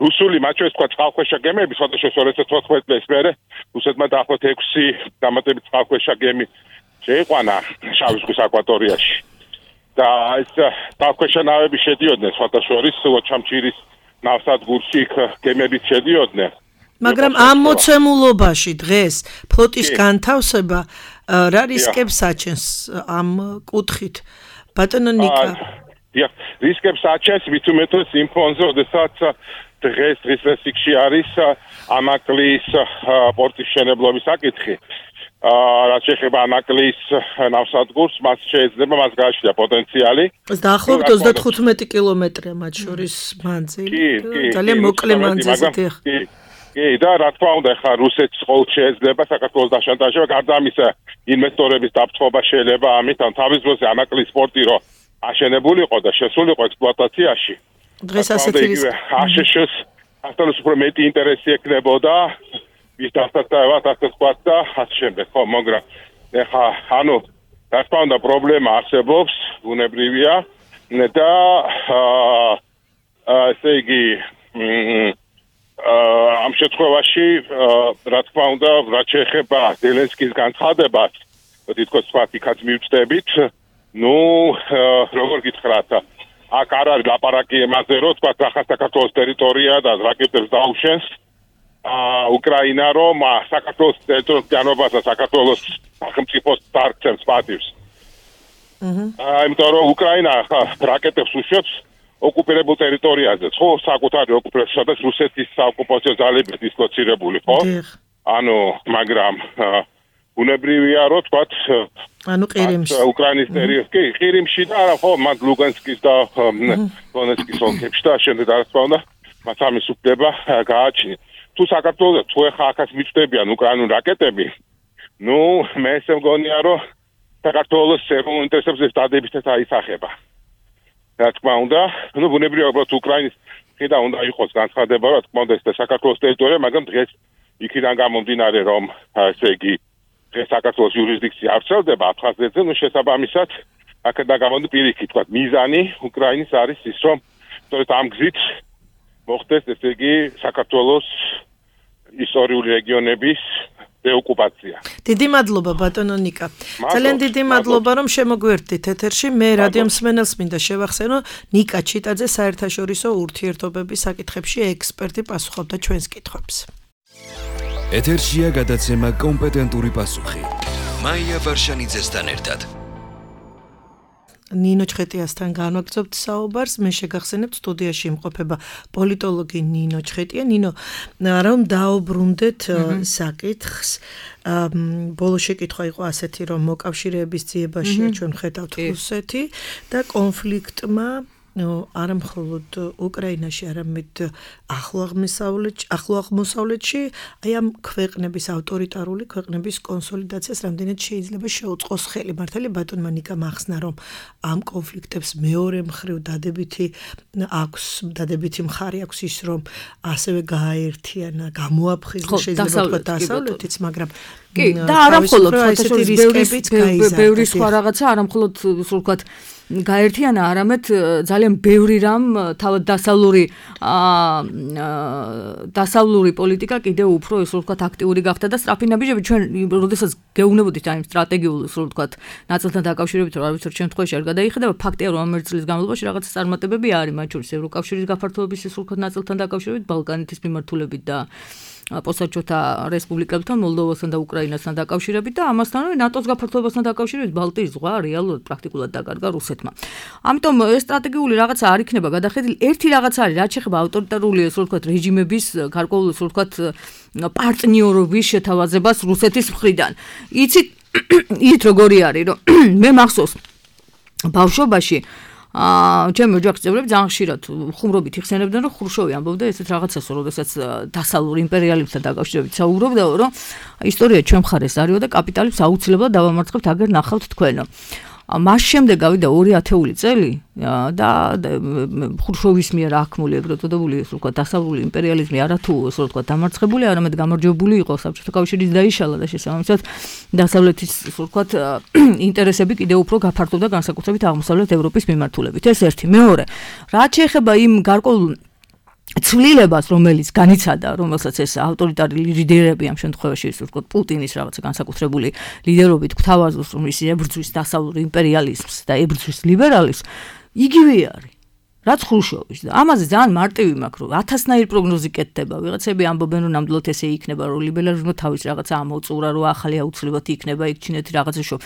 Speaker 4: რუსული მათ შორის თქვა წყალქვეშა გემები, სხვადასხვა ორი ათას თოთხმეტი წლის მერე რუსეთმა დაახლოებით ექვსი დამატებით წყალქვეშა გემი შეიყვანა შავი ზღვის აკვატორიაში. და ეს წყალქვეშა ნავები შედიოდნენ სხვადასხვა ოჩამჩირის ნავსადგურში გემებით შედიოდნენ.
Speaker 2: მაგრამ ამ მოცემულობაში დღეს ფლოტის განთავსება რა რისკებს აჩენს ამ კუთხით? ბატონო ნიკა.
Speaker 4: დიახ, რისკებს აჩენს მით უმეტეს იმ ფონზე, როდესაც დღეს დღის რესიკში არის ამაკლის პორტის მშენებლობის საკითხი. რაც შეეხება ამაკლის ნავსადგურს, მას შეიძლება მას გააჩნია პოტენციალი.
Speaker 2: დაახლოებით ოცდათხუთმეტი კილომეტრია მათ შორის მანძილი. ძალიან მოკლე მანძილზე.
Speaker 4: კი, და რა თქმა უნდა, ხა რუსეთს ყოველ შეიძლება საქართველოს დაშანტაჟება, გარდა ამისა, ინვესტორების დაფრთხობა შეიძლება ამით, ან თავის დროზე ამაკლის პორტი რო აშენებულიყო და შესულიყო ექსპლუატაციაში.
Speaker 2: დღეს ასეთი რისკი.
Speaker 4: აშშ-ს ახალოს უფრო მეტი ინტერესი ექნებოდა ის დასაცავად ასე ვთქვათ და ასე შემდეგ, ხო, მაგრამ ეხა ანუ რა თქმა უნდა პრობლემა არსებობს, ბუნებრივია და ესე იგი ამ შემთხვევაში რა თქმა უნდა რაც შეეხება ზელენსკის განცხადებას, თითქოს სხვა იქაც მივწდებით, ნუ როგორ გითხრათ, აქ არ არის ლაპარაკი იმაზე, რომ თქვა საქართველოს ტერიტორია და რაკეტებს დაუშვენს უკრაინა, რომ საქართველოს ტერიტორიის განობას და საქართველოს სახელმწიფოს დარჩენს პატივს. აა, იმიტომ რომ უკრაინა რაკეტებს უშვებს ოკუპირებულ ტერიტორიაზე, ხო, საკუთარი ოკუპირებისა და რუსეთის საოკუპაციო ძალებით დისლოცირებული, ხო? ანუ, მაგრამ ბუნებრივია, რომ თქვათ,
Speaker 2: ანუ ყირიმში.
Speaker 4: უკრაინის ტერიტორიაზე, კი, ყირიმში და არა, ხო, მათ ლუგანსკის და დონეცკის ოლქებში და შემდეგ რა თქმა უნდა, მათ ამის უფლება გააჩნიათ. თუ საქართველოს თუ ეხა ახაც მიწდებიან უკრაინულ რაკეტები, ნუ მე ესე მგონია, რომ საქართველოს ეროვნულ ინტერესებზე დადებითად აისახება. რა თქმა უნდა, ნუ ბუნებრივია, უბრალოდ უკრაინის ხიდან უნდა იყოს განცხადება, რა თქმა უნდა, ეს საქართველოს ტერიტორია, მაგრამ დღეს იქიდან გამომდინარე, რომ ესე იგი დღეს საქართველოს იურისდიქცია არ ვრცელდება აფხაზეთზე, ნუ შესაბამისად, აქედან გამომდინარე პირიქით, თქვა, მიზანი უკრაინის არის ის, რომ სწორედ ამ გზით მოხდეს, ესე იგი, საქართველოს ისტორიული რეგიონების დეოკუპაცია.
Speaker 2: დიდი მადლობა ბატონო ნიკა. ძალიან დიდი მადლობა რომ შემოგვერთდით ეთერში. მე რადიო მსმენელს მინდა შევახსენო, ნიკა ჩიტაძე საერთაშორისო ურთიერთობების საკითხებში ექსპერტი პასუხობდა ჩვენს კითხვებს.
Speaker 1: ეთერშია გადაცემა კომპეტენტური პასუხი. მაია ვარშანიძესთან ერთად.
Speaker 2: ნინო ჩხეტიასთან განვაგრძობთ საუბარს. მე შეგახსენებთ სტუდიაში იმყოფება პოლიტოლოგი ნინო ჩხეტია. ნინო, რომ დაუბრუნდეთ საკითხს. ბოლო შეკითხვა იყო ასეთი, რომ მოკავშირეების ძიებაშია ჩვენ ხედავთ რუსეთი და კონფლიქტმა არა მხოლოდ უკრაინაში, არამედ ახლო აღმოსავლეთში, ახლო აღმოსავლეთში, აი ამ ქვეყნების ავტორიტარული ქვეყნების კონსოლიდაციას რამდენად შეიძლება შეუწყოს ხელი. მართალია ბატონმა ნიკამ ახსნა, რომ ამ კონფლიქტებს მეორე მხრივ დადებითი აქვს, დადებითი მხარი აქვს ის, რომ ასევე გააერთიანა, გამოაფხიზნა შეიძლება თქვა დასავლეთიც, მაგრამ
Speaker 3: კი, და არა მხოლოდ ბევრი სხვა რაღაცა, არა მხოლოდ სულ ვთქვათ გაერთიანა, არამედ ძალიან ბევრი რამ თავად დასავლური დასავლური პოლიტიკა კიდევ უფრო ისე ვთქვათ აქტიური გახდა და სწრაფი ნაბიჯები ჩვენ როდესაც გეუბნებოდით ამ სტრატეგიულ ისე ვთქვათ ნაწილთან დაკავშირებით, რომ არც ერთ შემთხვევაში არ გადაიხედება, ფაქტია რომ ამ ერთ წლის განმავლობაში რაღაცა წარმატებები არის, მათ შორის ევროკავშირის გაფართოების ისე ვთქვათ ნაწილთან დაკავშირებით, ბალკანეთის მიმართულებით და პოსტსაჩოთა რესპუბლიკებთან, მოლდოვასთან და უკრაინასთან დაკავშირებით და ამასთანავე ნატოს გაფართოებასთან დაკავშირებით ბალტიის ზღვა რეალურად პრაქტიკულად დაკარგა რუსეთმა. ამიტომ ეს სტრატეგიული რაღაცა არ იქნება გადახედილი. ერთი რაღაც არის, რაც შეეხება ავტორიტარული, ასე ვთქვათ, რეჟიმების გარკვეულ, ასე ვთქვათ, პარტნიორობის შეთავაზებას რუსეთის მხრიდან. იცით, იცით როგორი არის, რომ მე მახსოვს ბავშვობაში აა ჩემი ოჯახის წევრები ძალიან ხშირად ხუმრობით იხსენებდნენ, რომ ხრუშოვი ამბობდა ესეთ რაღაცას, როდესაც დასავლურ იმპერიალებთან დაკავშირებით საუბრობდაო, რომ ისტორია ჩვენ მხარეს არისო და კაპიტალებს აუცილებლად დავამარცხებთ, აგერ ნახავთ თქვენო. მას შემდეგ გავიდა ორი ათეული წელი და ხრუშოვის მიერ აქმული ეგრეთ წოდებული, ასე ვთქვათ, დასავლური იმპერიალიზმი არათუ, ასე ვთქვათ, დამარცხებული, არამედ გამარჯვებული იყო, საბჭოთა კავშირიც დაიშალა და შესაბამისად დასავლეთის, ასე ვთქვათ, ინტერესები კიდევ უფრო გაფართოვდა განსაკუთრებით აღმოსავლეთ ევროპის მიმართულებით. ეს ერთი. მეორე, რაც შეეხება იმ გარკვეულ ცვლილებას, რომელიც განიცადა, რომელსაც ეს ავტორიტარი ლიდერები ამ შემთხვევაში, ისე ვთქვათ, პუტინის რაღაცა განსაკუთრებული ლიდერობით გვთავაზობს, რომ ის ებრძვის დასავლურ იმპერიალიზმს და ებრძვის ლიბერალიზმს, იგივე არის, რაც ხრუშოვის. და ამაზე ძალიან მარტივი მაქვს, რომ ათასნაირი პროგნოზი კეთდება. ვიღაცები ამბობენ, რომ ნამდვილად ესე იქნება, რომ ლიბერალიზმმა თავის რაღაცა ამოწურა, რომ ახალი აუცილებლად იქნება იქ ჩინეთი რაღაცა შო.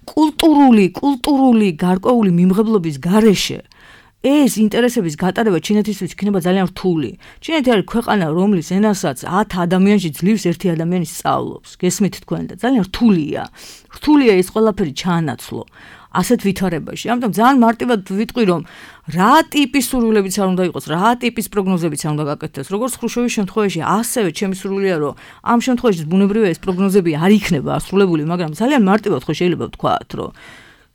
Speaker 3: კულტურული, კულტურული გარკვეული მიმღებლობის გარეშე ეს ინტერესების გატარება ჩინეთისთვის იქნება ძალიან რთული. ჩინეთი არის ქვეყანა, რომლის ენასაც ათ ადამიანში ძლივს ერთი ადამიანი სწავლობს. გესმით თქვენ და ძალიან რთულია. რთულია ეს ყველაფერი ჩაანაცვლო ასეთ ვითარებაში. ამიტომ ძალიან მარტივად ვიტყვი, რომ რა ტიპის სურვილებიც არ უნდა იყოს, რა ტიპის პროგნოზებიც არ უნდა გაკეთდეს. როგორც ხრუშოვის შემთხვევაში, ასევე ჩემი სურვილია, რომ ამ შემთხვევაში ბუნებრივია ეს პროგნოზები არ იქნება ასრულებული, მაგრამ ძალიან მარტივად ხო შეიძლება ვთქვათ, რომ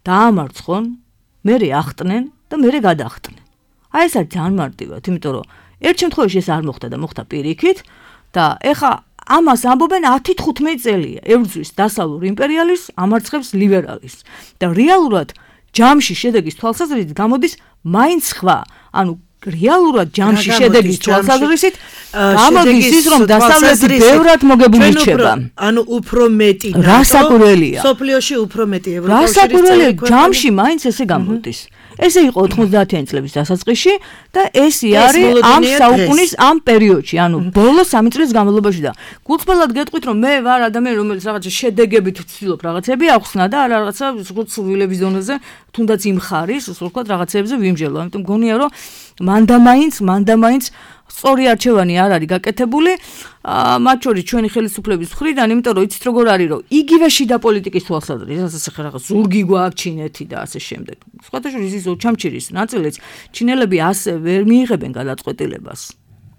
Speaker 3: დაამარცხონ, მერე ახტნენ და მერე გადახტნენ. აი ეს არის ძალიან მარტივად, იმიტომ რომ ერთ შემთხვევაში ეს არ მოხდა და მოხდა პირიქით და ეხა ამას ამბობენ ათი თხუთმეტი წელია. ებრძვის დასავლურ იმპერიალიზმს, ამარცხებს ლიბერალიზმს. და რეალურად ჯამში შედეგის თვალსაზრისით გამოდის მაინც სხვა. ანუ რეალურად ჯამში შედეგის თვალსაზრისით გამოდის ის, რომ დასავლეთი ბევრად მოგებული რჩება.
Speaker 2: ანუ უფრო მეტი
Speaker 3: ნატო. რასაკვირველია.
Speaker 2: სოფლიოში უფრო მეტი ევროპაში.
Speaker 3: რასაკვირველია, ჯამში მაინც ესე გამოდის. ესე იყო ოთხმოცდაათიანი წლების დასაწყისში და ესე არის ამ საუკუნის ამ პერიოდში, ანუ ბოლო სამი წლის განმავლობაში და გულწრფელად გეტყვით, რომ მე ვარ ადამიანი, რომელიც რაღაცა შედეგებით ვცდილობ რაღაცები ახსნა და არა რაღაცა სრულვილების დონეზე, თუნდაც იმ ხარის, ასე ვთქვათ, რაღაცებზე ვიმჟელო. ამიტომ გონია, რომ მანდამაინც, მანდამაინც სწორი არჩევანი არ არის გაკეთებული, მათ შორის ჩვენი ხელისუფლების მხრიდან, იმიტომ რომ იცით როგორ არის, რომ იგივე შიდა პოლიტიკის თვალსაზრისით, ასე რაღაც ზურგი გვაქვს ჩინეთი და ასე შემდეგ. სხვათა შორის ის ოჩამჩირის ნაწილიც ჩინელები ასე ვერ მიიღებენ გადაწყვეტილებას.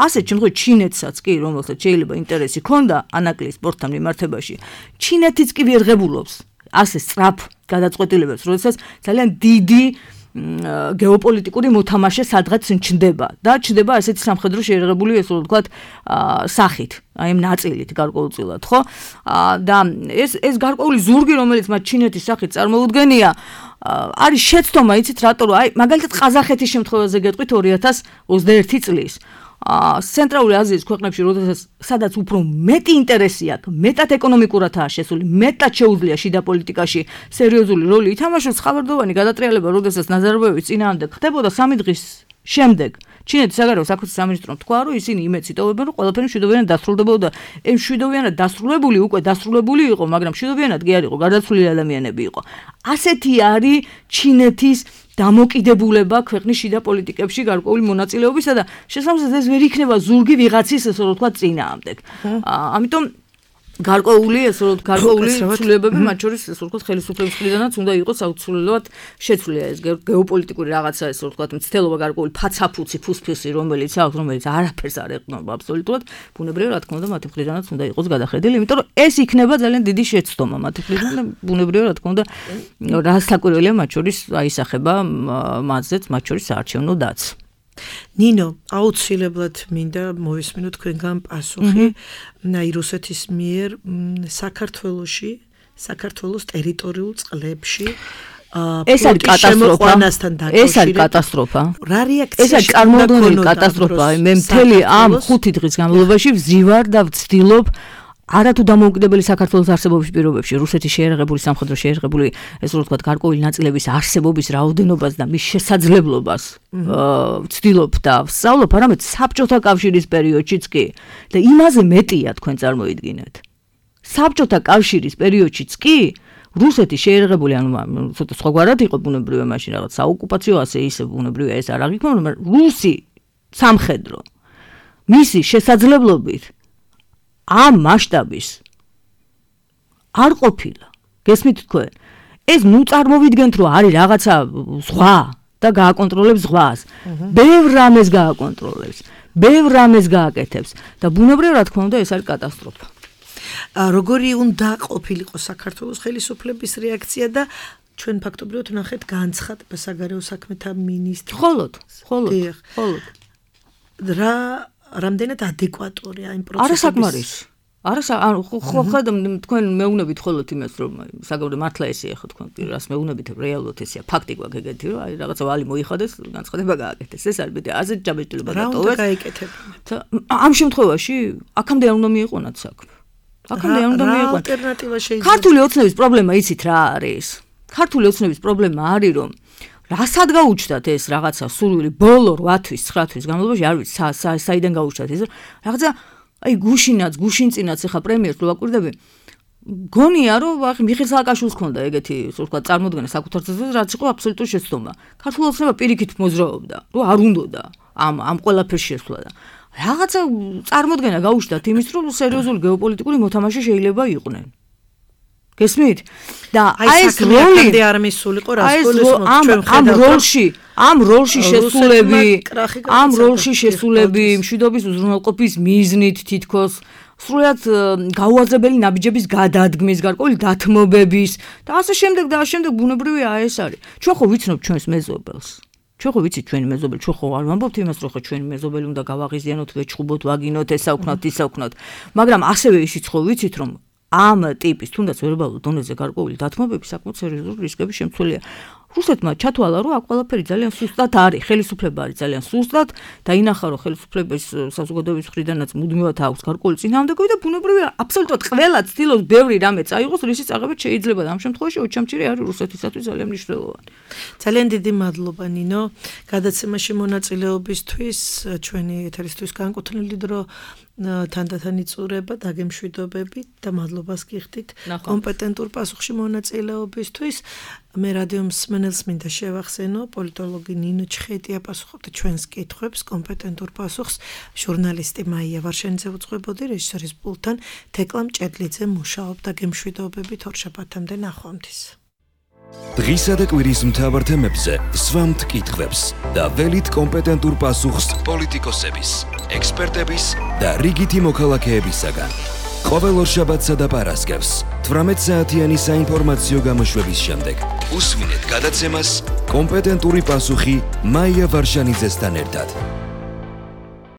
Speaker 3: ასეთ შემთხვევაში ჩინეთსაც კი, რომელსაც შეიძლება ინტერესი ქონდა ანაკლის სპორტთან მიმართებაში, ჩინეთიც კი ვერ ღებულობს ასე სწრაფ გადაწყვეტილებებს, როდესაც ძალიან დიდი გეოპოლიტიკური მოთამაშე სადღაც ჩნდება და ჩნდება ესეთი სამხედრო შეერაღებული, ესე ვთქვათ, სახით, აი ამ ნაწილით გარკვეულწილად, ხო? და ეს ეს გარკვეული ზურგი, რომელიც მათ ჩინეთის სახით წარმოუდგენია, არის შეცდომა, იცით რატო, რომ აი მაგალითად ყაზახეთის შემთხვევაზე გეტყვით ორი ათას ოცდაერთი წლის ცენტრალური აზიის ქვეყნებში, როდესაც სადაც უფრო მეტი ინტერესი აქვს, მეტად ეკონომიკურადაა შესული, მეტად შეუძლია შიდა პოლიტიკაში სერიოზული როლი ითამაშოს, ხავარდოვანი გადატრიალება, როდესაც ნაზარბაევის წინააღმდეგ ხდებოდა სამი დღის შემდეგ. ჩინეთის საგარეო საქმეთა სამინისტრომ თქვა, რომ ისინი იმედს იტოვებენ, რომ ყველაფერი მშვიდობიანად დასრულდებოდა. ეს მშვიდობიანად დასრულებული უკვე დასრულებული იყო, მაგრამ მშვიდობიანად კი არ იყო, გარდაცვლილი ადამიანები იყო. ასეთი არის ჩინეთის დამოკიდებულება ქვეყნის შიდა პოლიტიკებში გარკვეული მონაწილეობისა და შესაბამისად ეს ვერ იქნება ზურგი ვიღაცის, ესე ვთქვათ, წინააღმდეგ. ამიტომ გარკვეული, ესე ვთქვათ, გარკვეული ცვლილებები, მათ შორის, ესე ვთქვათ, ხელისუფლების მხრიდანაც უნდა იყოს აუცილებლად შეცვლილი ეს გეოპოლიტიკური რაღაცა, ესე ვთქვათ, მცდელობა გარკვეული ფაცაფუცი, ფუსფუსი, რომელიც აქვს, რომელიც არაფერს არ ეყრდნობა აბსოლუტურად, ბუნებრივია, რა თქმა უნდა, მათი მხრიდანაც უნდა იყოს გადახედილი, იმიტომ რომ ეს იქნება ძალიან დიდი შეცდომა მათი მხრიდან და ბუნებრივია, რა თქმა უნდა, რასაკვირველია მათ შორის აისახება მათზეც, მათ შორის საარჩევნო დაც.
Speaker 2: ნინო, აუცილებლად მინდა მოვისმინოთ თქვენგან პასუხი აი რუსეთის მიერ საქართველოში, საქართველოს ტერიტორიულ წყლებში
Speaker 3: ეს არის კატასტროფა. ეს არის კატასტროფა.
Speaker 2: რა რეაქცია?
Speaker 3: ეს არის წარმოუდგენელი კატასტროფა. მე მთელი ამ ხუთი დღის განმავლობაში ვზივარ და ვცდილობ არათუ დამოუკიდებელი საქართველოს არსებობის პირობებში რუსეთის შეერაღებული სამხედრო შეერაღებული ესე ვთქვათ გარკვეული ნაწილების არსებობის რაოდენობას და მის შესაძლებლობას ვცდილობ და ვსწავლობ, არამედ საბჭოთა კავშირის პერიოდშიც კი და იმაზე მეტია თქვენ წარმოიდგინეთ. საბჭოთა კავშირის პერიოდშიც კი რუსეთის შეერაღებული, ანუ ცოტა სხვაგვარად იყო ბუნებრივია მაშინ რაღაც საოკუპაციო ასე ისე ბუნებრივია ეს არ აღიქმნა, მაგრამ რუსი სამხედრო მისი შესაძლებლობით ამ მასშტაბის არ ყოფილა. გესმით თქვენ? ეს ნუ წარმოვიდგენთ, რომ არის რაღაცა ზღვა და გააკონტროლებს ზღვას. ბევრ რამეს გააკონტროლებს, ბევრ რამეს გააკეთებს და ბუნებრივია, რა თქმა უნდა, ეს არის კატასტროფა.
Speaker 2: როგორი უნდა ყოფილიყო საქართველოს ხელისუფლების რეაქცია და ჩვენ ფაქტობრივად ვნახეთ განცხადება საგარეო საქმეთა მინისტრის.
Speaker 3: ხოლოდ, ხოლოდ, ხოლოდ.
Speaker 2: რა რამდენად ადეკვატორია იმ პროცესების?
Speaker 3: არასაკმარისი. არა, ანუ ხო ხედავ თქვენ მეუნებით ხოლოდ იმას, რომ საგარეო მართლა ესეა ხო თქვენ რას მეუნებით რეალურად ესეა, ფაქტი გვაქვს ეგეთი, რომ აი რაღაცა ვალი მოიხადეს, განცხადება გააკეთეს. ეს არის მეტი ასეთ ჯაბეჭდილება
Speaker 2: დატოვეს. რა უნდა გაიკეთებინათ?
Speaker 3: ამ შემთხვევაში აქამდე არ უნდა მიიყვანათ საქმე. აქამდე არ უნდა მიიყვანათ.
Speaker 2: რა ალტერნატივა შეიძლება?
Speaker 3: ქართული ოცნების პრობლემა იცით რა არის? ქართული ოცნების პრობლემა არის, რომ რასად გაუჩნდათ ეს რაღაცა სურვილი ბოლო რვა თვის, ცხრა თვის განმავლობაში არ ვიცი საიდან გაუჩნდათ ეს რაღაცა აი გუშინაც, გუშინწინაც ახლა პრემიერს რო ვაკვირდები, გონია რომ ახლა მიხეილ სააკაშვილს ჰქონდა ეგეთი, ასე ვთქვათ, წარმოდგენა საკუთარ ძეზე, რაც იყო აბსოლუტური შეცდომა. ქართული ოცნება პირიქით მოძრაობდა, რომ არ უნდოდა ამ ამ ყველაფერს შესვლა და რაღაცა წარმოდგენა გაუჩნდათ იმის, რომ სერიოზული გეოპოლიტიკური მოთამაშე შეიძლება იყვნენ. გესმით? და აი ეს როლი
Speaker 2: არ მისულიყო რასკოლის
Speaker 3: ჩვენ ამ როლში, ამ როლში შესულები, ამ როლში შესულები, მშვიდობის უზრუნველყოფის მიზნით თითქოს სრულიად გაუაზრებელი ნაბიჯების გადადგმის, გარკვეული დათმობების და ასე შემდეგ და ასე შემდეგ ბუნებრივია ეს არის. ჩვენ ხო ვიცნობ ჩვენს მეზობელს. ჩვენ ხო ვიცით ჩვენი მეზობელი, ჩვენ ხო არ ვამბობთ იმას, რომ ხო ჩვენი მეზობელი უნდა გავაღიზიანოთ, ვეჩხუბოთ, ვაგინოთ, ესა ვქნათ, ისა ვქნათ. მაგრამ ასევე ისიც ხო ვიცით, რომ ამ ტიპის თუნდაც ვერბალურ დონეზე გარკვეული დათმობები საკმაოდ სერიოზული რისკების შემცველია. რუსეთმა ჩათვალა, რომ აქ ყველაფერი ძალიან სუსტად არის, ხელისუფლება არის ძალიან სუსტად და ინახა, რომ ხელისუფლების საზოგადოების მხრიდანაც მუდმივად აქვს გარკვეული წინააღმდეგობი და ბუნებრივია აბსოლუტურად ყველა ცდილობს ბევრი რამე წაიღოს, რისიც აღებაც შეიძლება და ამ შემთხვევაში ოჩამჭირი არის რუსეთისათვის ძალიან მნიშვნელოვანი.
Speaker 2: ძალიან დიდი მადლობა ნინო, გადაცემაში მონაწილეობისთვის, ჩვენი ეთერისთვის განკუთვნილი დრო თანდათან იწურება დაგემშვიდობებით და მადლობას გიხდით კომპეტენტურ პასუხში მონაწილეობისთვის. მე რადიო მსმენელს მინდა შევახსენო, პოლიტოლოგი ნინო ჩხეტია პასუხობდა ჩვენს კითხვებს, კომპეტენტურ პასუხს ჟურნალისტი მაია ვარშენიძე უძღვებოდი, რეჟისორის პულტთან თეკლა მჭედლიძე მუშაობდა. გემშვიდობებით ორშაბათამდე ნახვამდის.
Speaker 1: დღისა და კვირის მთავარ თემებზე სვამთ კითხვებს და ველით კომპეტენტურ პასუხს პოლიტიკოსების, ექსპერტების და რიგითი მოქალაქეებისაგან. ყოველ ორშაბათსა და პარასკევს თვრამეტ საათიანი საინფორმაციო გამოშვების შემდეგ უსმინეთ გადაცემას კომპეტენტური პასუხი მაია ვარშანიძესთან ერთად.